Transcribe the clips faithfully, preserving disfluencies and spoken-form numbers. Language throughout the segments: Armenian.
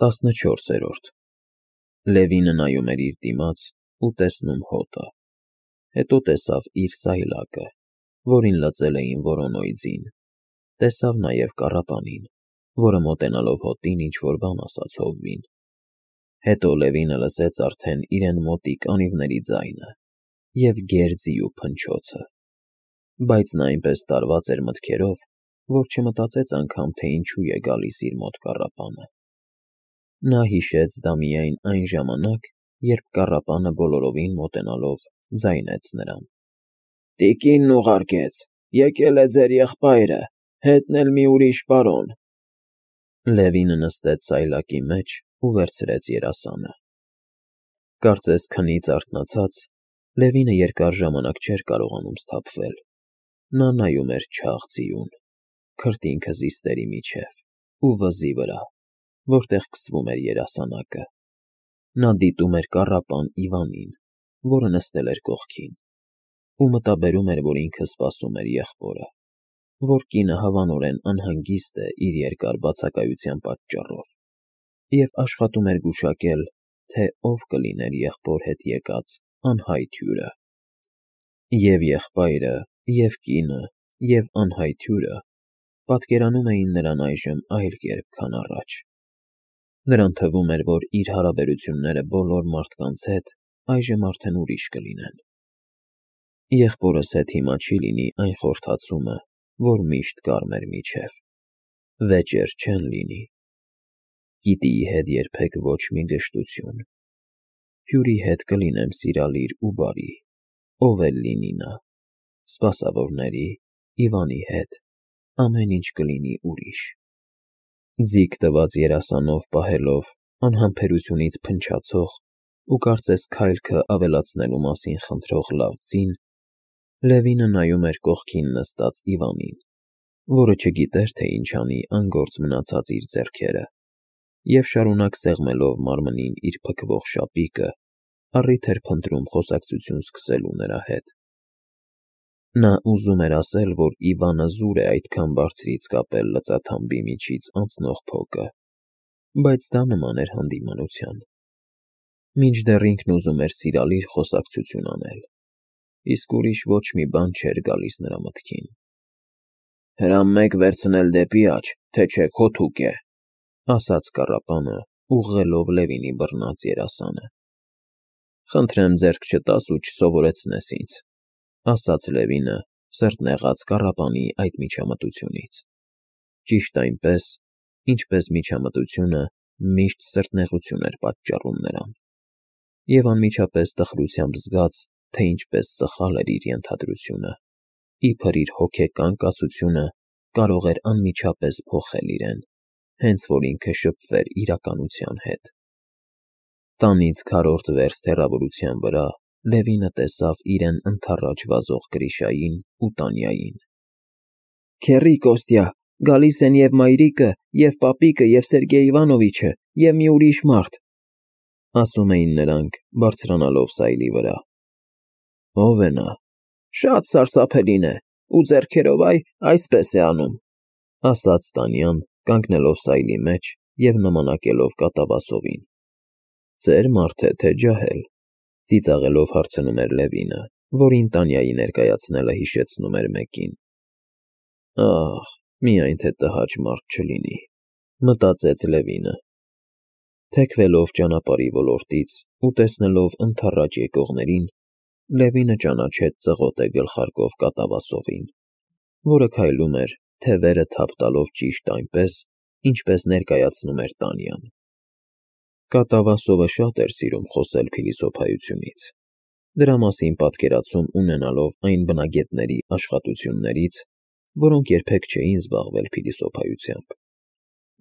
տասնչորսերորդ Լևինը նայում էր իր դիմաց ու տեսնում հոտը, հետո տեսավ իր սայլակը, որին լծել էին Վորոնոյի ձին, տեսավ նաև կառապանին, որը մոտենալով հոտին ինչ-որ բան ասաց հովվին, հետո Լևինը լսեց արդեն իրեն մոտիկ անիվների ձայնը և գերձիու փնչոցը, բայց նա այնպես տարված էր մտքերով, որ չմտածեց անգամ, թե ինչու է գալիս իր մոտ կառապանը. Նա հիշեց դա միայն այն ժամանակ, երբ կառապանը բոլորովին մոտենալով ձայնեց նրան. «Տիկինն ուղարկեց, եկել է ձեր եղբայրը, հետն էլ մի ուրիշ պարոն»։ Լևինը նստեց սայլակի մեջ ու վերցրեց երասանը։ Կարծես քնից արթնացած, Լևինը երկար ժամանակ չէր կարողանում սթափվել. նա նայում էր չաղ ձիուն, քրտինքը զիստերի միջև ու վզի վրա, որտեղ քսվում էր երասանակը։ Նա դիտում էր կառապան Իվանին, որը նստել էր կողքին, ու մտաբերում էր, որ ինքը սպասում էր եղբորը, որ կինը հավանորեն անհանգիստ է իր երկար բացակայության պատճառով, և աշխատում էր գուշակել, թե ով կլիներ եղբոր հետ եկած անհայտ հյուրը։ Եվ եղբայրը, և կինը, և անհայտ հյուրը պատկերանում էին նրան այժմ այլ կերպ, քան առաջ։ Նրան թվում էր, որ իր հարաբերությունները բոլոր մարդկանց հետ այժմ արդեն ուրիշ կլինեն։ Եղբորս հետ հիմա չի լինի այն խորհրդացումը, որ միշտ կար մեր միջև, վեճեր չեն լինի, Կիտիի հետ երբեք ոչ մի գժտություն, հյուրի հետ կլինեմ սիրալիր ու բարի, ով էլ լինի նա, սպասավորների, Իվանի հետ, ամեն ինչ կլինի ուրիշ։ Ձիգ տված երասանով պահելով անհամբերությունից փնչացող ու կարծես քայլքը ավելացնելու մասին խնդրող լավ ձին, Լևինը նայում էր կողքին նստած Իվանին, որը չգիտեր, թե ինչ անի անգործ մնացած իր ձեռքերը, և շարունակ սեղմելով մարմնին իր փքվող շապիկը, առիթ էր փնտրում խոսակցություն սկսելու նրա հետ։ Նա ուզում էր ասել, որ Իվանը զուր է այդքան բարձրից կապել լծաթամբի միջից անցնող փոկը, բայց դա նման էր հանդիմանության։ Մինչդեռ ինքն ուզում էր սիրալիր խոսակցություն անել, իսկ ուրիշ ոչ մի բան չէր գալիս նրա մտքին։ «Հրամ մեկ վերցնել դեպի աջ, թե չէ քո թուկ է», ասաց կառապանը, ուղղելով Լևինի բռնած երասանը։ «Խնդրեմ ձեռք չտաս ու չսովորեցնես ինձ», ասաց Լևինը, սրտնեղած կառապանի այդ միջամտությունից։ Ճիշտ այնպես, ինչպես միջամտությունը միշտ սրտնեղություն էր պատճառում նրան, և անմիջապես տխրությամբ զգաց, թե ինչպես սխալ էր իր ենթադրությունը, իբր իր հոգեկան կացությունը կարող էր անմիջապես փոխել իրեն, հենց որ ինքը շփվեր իրականության հետ։ Տանից քառորդ վերստ հեռավորության վրա Լևինը տեսավ իրեն ընդառաջ վազող Գրիշային ու Տանյային։ «Քեռի, Կոստյա, գալիս են և մայրիկը, և պապիկը, և Սերգեյ Իվանովիչը, և մի ուրիշ մարդ», ասում էին նրանք, բարձրանալով սայլի վրա։ «Ո՞վ է նա»։ «Շատ սարսափելին է, ու ձեռքերով այ այսպես է անում», ասաց Տանյան, կանգնելով սայլի մեջ և նմանակելով կատավասովին։ «Ծեր մարդ է, թե ջահել», ծիծաղելով հարցնում էր Լևինը, որին Տանյայի ներկայացնելը հիշեցնում էր մեկին։ «Ահ, միայն թե տհաճ մարդ չլինի», մտածեց Լևինը։ Թեքվելով ճանապարհի ոլորտից ու տեսնելով ընդառաջ եկողներին, Լևինը ճանաչեց ծղոտե գլխարկով կատավասովին, որը քայլում էր, թևերը թափ տալով ճիշտ այնպես, ինչպես ներկայացնում էր Տանյան։ Կատավասովը շատ էր սիրում խոսել փիլիսոփայությունից, դրա մասին պատկերացում ունենալով այն բնագետների աշխատություններից, որոնք երբեք չէին զբաղվել փիլիսոփայությամբ,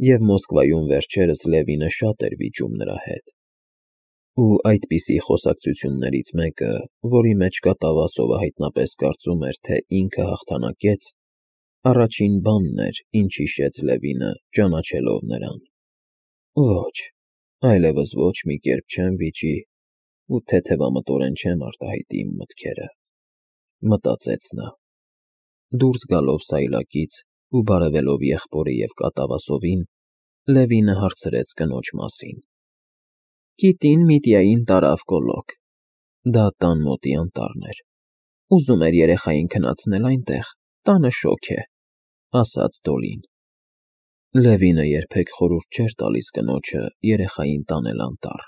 և Մոսկվայում վերջերս Լևինը շատ էր վիճում նրա հետ։ Ու այդպիսի խոսակցություններից մեկը, որի մեջ կատավասովը հայտնապես կարծում էր, թե ինքը հաղթանակեց, առաջին բանն էր, ինչ հիշեց Լևինը, ճանաչելով նրան։ «Ոչ, այլևս ոչ մի կերպ չեմ վիճի ու թեթևամտորեն չեմ արտահայտի իմ մտքերը», մտածեց նա։ Դուրս գալով սայլակից ու բարևելով եղբորը և կատավասովին, Լևինը հարցրեց կնոջ մասին։ Կիտին Միտիային տարավ կոլոկ։ Դա տան մոտի անտառն էր։ Ուզում էր երեխային քնացնել այնտեղ, տանը շոգ է, ասաց Դոլին։ Լևինը երբեք խորհուրդ չէր տալիս կնոջը երեխային տանել անտառ,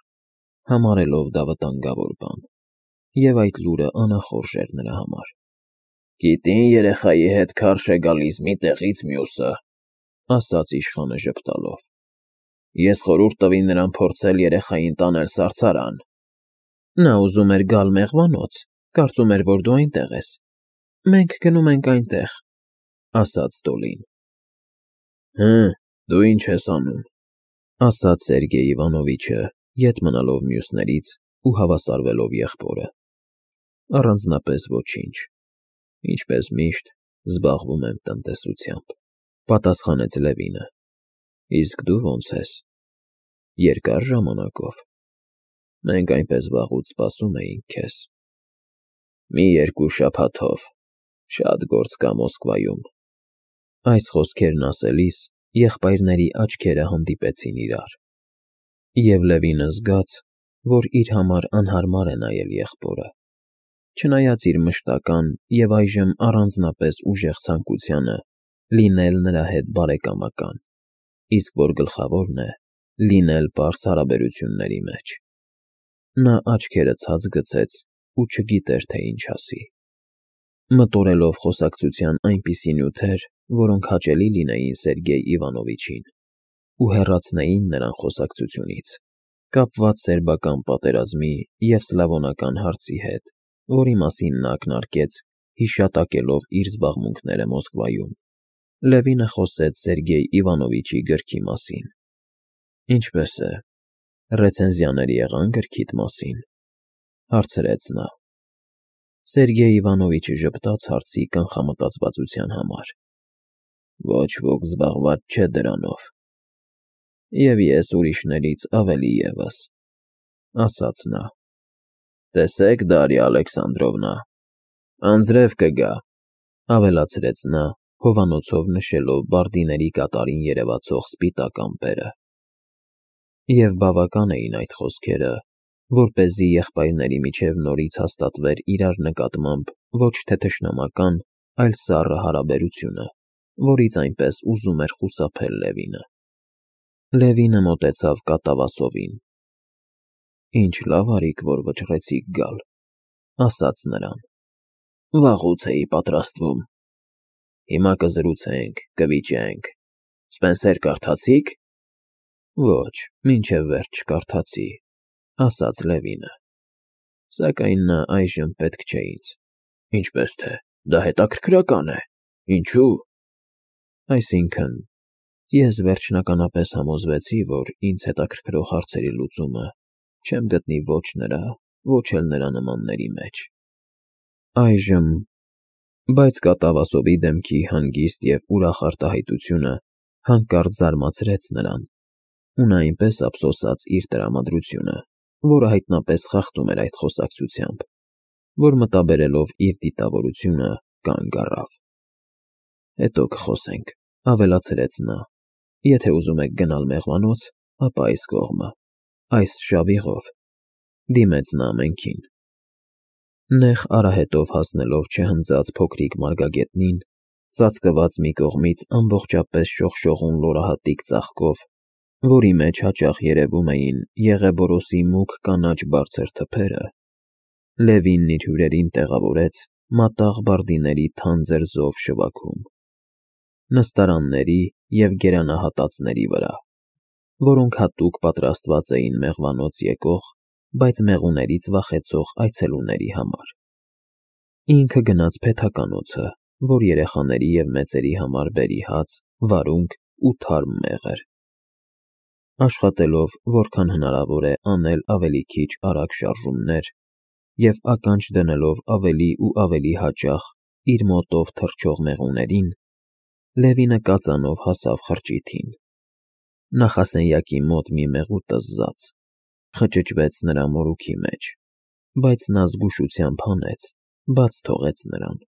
համարելով դա վտանգավոր բան, և այդ լուրը անախորժ էր նրա համար։ Կիտին երեխայի հետ քարշ է գալիս մի տեղից մյուսը, ասաց իշխանը ժպտալով։ Ես խորհուրդ տվի նրան փորձել երեխային տանել սարսարան։ Նա ուզում էր գալ մեղվանոց, կարծում էր, որ դու այնտեղ ես։ Մենք գնում ենք այնտեղ, ասաց Դոլին։ Հը, դու ինչ ես անում, ասաց Սերգեյ Իվանովիչը, ետ մնալով մյուսներից ու հավասարվելով եղբորը։ Առանձնապես ոչինչ, ինչպես միշտ, զբաղվում եմ տնտեսությամբ, պատասխանեց Լևինը։ Իսկ դու ո՞նց ես։ Երկար ժամանակով։ Մենք այնպես վաղուց սպասում էինք քեզ։ Մի երկու շաբաթով, շատ գործ կա Մոսկվայում։ Այս խոսքերն ասելիս եղբայրների աչքերը հանդիպեցին իրար, և Լևինը զգաց, որ իր համար անհարմար է նայել եղբորը, չնայած իր մշտական և այժմ առանձնապես ուժեղ ցանկությանը լինել նրա հետ բարեկամական, իսկ որ գլխավորն է, լինել պարզ հարաբերությունների մեջ։ Նա աչքերը ցած գցեց ու չգիտեր, թե ինչ ասի։ Մտորելով խոսակցության այնպիսի նյութեր, որոնք հաճելի լինեին Սերգեյ Իվանովիչին ու հեռացնեին նրան խոսակցությունից, կապված սերբական պատերազմի և սլավոնական հարցի հետ, որի մասին նա ակնարկեց, հիշատակելով իր զբաղմունքները Մոսկվայում, Լևինը խոսեց Սերգեյ Իվանովիչի գրքի մասին։ Ինչպե՞ս է, ռեցենզիաներ եղան գրքիդ մասին, հարցրեց նա։ Սերգեյ Իվանովիչը ժպտաց հարցի կանխամտածվածության համար։ Ոչ ոք զբաղված չէ դրանով։ Եվ ես ուրիշներից ավելի ևս, ասաց նա։ Տեսեք, Դարիա Ալեքսանդրովնա, անձրև կգա, ավելացրեց նա, հովանոցով նշելով բարդիների կատարին երևացող սպիտակ ամպերը։ Եվ բավական էին այդ խոսքերը, որպեսզի եղբայրների միջև նորից հաստատվեր իրար նկատմամբ ոչ թե թշնամական, այլ սառը հարաբերությունը, որից այնպես ուզում էր խուսափել Լևինը։ Լևինը մոտեցավ կատավասովին։ Ինչ լավ արիք, որ վճռեցիք գալ, ասաց նրան։ Վաղուց էի պատրաստվում։ Հիմա կզրուցենք, կվիճենք։ Սպենսեր կարդացի՞ք։ Ոչ, մինչև վերջ չկարդացի, ասաց Լևինը։ Սակայն նա այժմ պետք չէ ինձ։ Ինչպես թե, դա հետաքրքրական է։ Ինչու՞։ Այսինքն, ես վերջնականապես համոզվեցի, որ ինձ հետաքրքրող հարցերի լուծումը չեմ գտնի ոչ նրա, ոչ էլ նրա նմանների մեջ։ Այժմ, բայց կատավասովի դեմքի հանգիստ և ուրախ արտահայտությունը հանկարծ զարմացրեց նրան, ու նա այնպես ափսոսաց իր տրամադրությունը, որը հայտնապես խախտում էր այդ խոսակցությամբ, որ մտաբերելով իր դիտավորությունը կանգ առավ։ Հետո կխոսենք, ավելացրեց նա, եթե ուզում եք գնալ մեղվանոց, ապա այս կողմը, այս շավիղով, դիմեց նա ամենքին։ Նեղ արահետով հասնելով չհնձած փոքրիկ մարգագետնին, ծածկված մի կողմից ամբողջապես շողշողուն լորահատիկ ծաղկով, որի մեջ հաճախ երևում էին Եղեբորոսի մուգ կանաչ բարձր թփերը, Լևինն իր հյուրերին տեղավորեց մատաղ բարդիների թանձր զով շվաքում, նստարանների և գերանահատածների վրա, որոնք հատուկ պատրաստված էին մեղվանոց եկող, բայց մեղուներից վախեցող այցելուների համար։ Ինքը գնաց փեթականոցը, որ երեխաների և մեծերի համար բերի հաց, վարունգ ու թարմ մեղր։ Աշխատելով որքան հնարավոր է անել ավելի քիչ արագ շարժումներ և ականջ դնելով ավելի ու ավելի հաճախ իր մոտով թռչող մեղուներին, Լևինը կածանով հասավ խրճիթին։ Նախասենյակի մոտ մի մեղու տզզաց, խճճվեց նրա մորուքի մեջ, բայց նա զգուշությամբ հանեց, բաց թողեց նրան։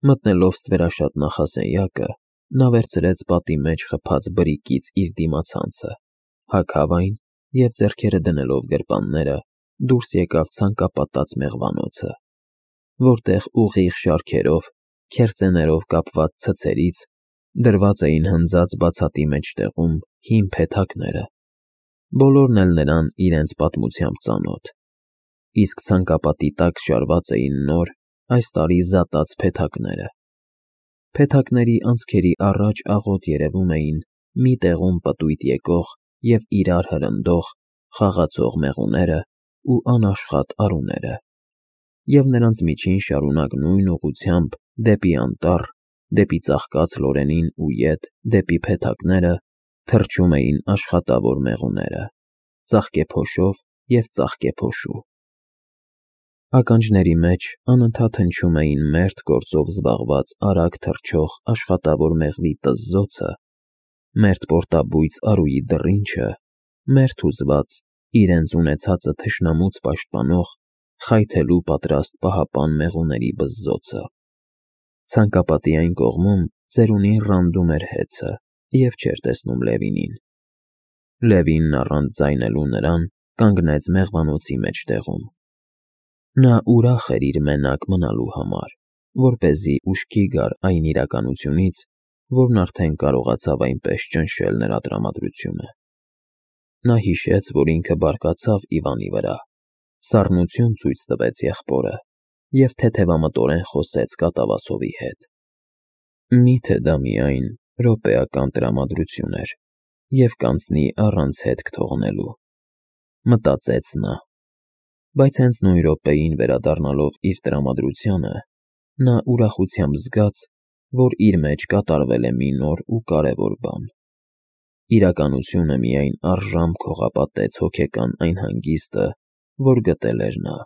Մտնելով ստվերաշատ նախասենյակը, նա վերցրեց պատի մեջ խփած բրիկից իր դիմացանցը, հագավ այն և ձեռքերը դնելով գրպանները դուրս եկավ ցանկապատած մեղվանոցը, որտեղ ուղիղ շարքերով, քերծեներով կապված ցցերից դրված էին հնձած բացատի մեջտեղում հին փեթակները, բոլորն էլ նրան իրենց պատմությամբ ծանոթ, իսկ ցանկապատի տակ շարված էին նոր, այս տարի զատած փեթակները։ Փեթակների անցքերի առաջ աղոտ երևում էին մի տեղում պտույտ եկող և իրար հրնդող, խաղացող մեղուները ու անաշխատ արուները, և նրանց միջին շարունակ նույն ուղղությամբ դեպի անտառ, դեպի ծաղկած լորենին ու ետ, դեպի փեթակները թռչում էին աշխատավոր մեղուները, ծաղկեփոշով և ծաղկեփոշու։ Ականջների մեջ անընդհատ հնչում էին մերթ գործով զբաղված արագ թռչող աշխատավոր մեղվի տզզոցը, մերթ պորտաբույծ արուի դռինչը, մերթ հուզված, իրենց ունեցածը թշնամուց պաշտպանող, խայթելու պատրաստ պահապան մեղուների բզզոցը։ Ցանկապատի այն կողմում ծերունին ռանդում էր հեծը և չէր տեսնում Լևինին։ Լևինն առանց ձայնելու նրան կանգնեց մեղվանոցի մեջտեղում։ Նա ուրախ էր իր մենակ մնալու համար, որպեսզի ուշքի գար այն իրականությունից, որն արդեն կարողացավ այնպես ճնշել նրա տրամադրությունը։ Նա հիշեց, որ ինքը բարկացավ Իվանի վրա, սառնություն ցույց տվեց եղբորը և թեթևամտորեն խոսեց կատավասովի հետ։ Մի՞թե դա միայն րոպեական տրամադրություն էր և կանցնի առանց հետք թողնելու, մտածեց նա, բայց հենց նույն րոպեին վերադառնալով իր տրամադրությանը, նա ուրախությամբ զգաց, որ իր մեջ կատարվել է մի նոր ու կարևոր բան։ Իրականությունը միայն առժամ քողապատեց հոգեկան այն հանգիստը, որ գտել էր նա,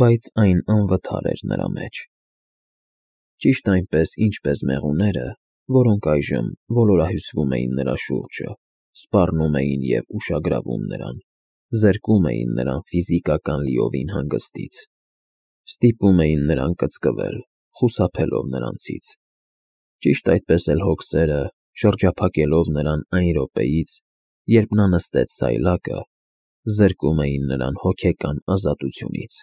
բայց այն անվթար էր նրա մեջ։ Ճիշտ այնպես, ինչպես մեղուները, որոնք այժմ ոլորահյուսվում էին նրա շուրջը, սպառնում էին և ուշագրավում նրան, զրկում էին նրան ֆիզիկական լիովին հանգստից, ստիպում էին նրան կծկվել, խուսափելով նրանցից։ Ճիշտ այդպես էլ հոգսերը, շրջափակելով նրան այն րոպեից, երբ նա նստեց սայլակը, զրկում էին նրան հոգեկան ազատությունից։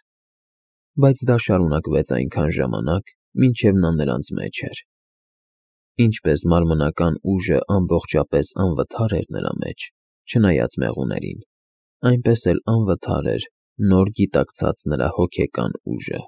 Բայց դա շարունակվեց այնքան ժամանակ, մինչև նա նրանց մեջ էր։ Ինչպես մարմնական ուժը ամբողջապես անվթար էր նրա մեջ, չնայած մեղուներին, այնպես էլ անվթար էր նոր գիտակցած նրա հոգեկան ուժը։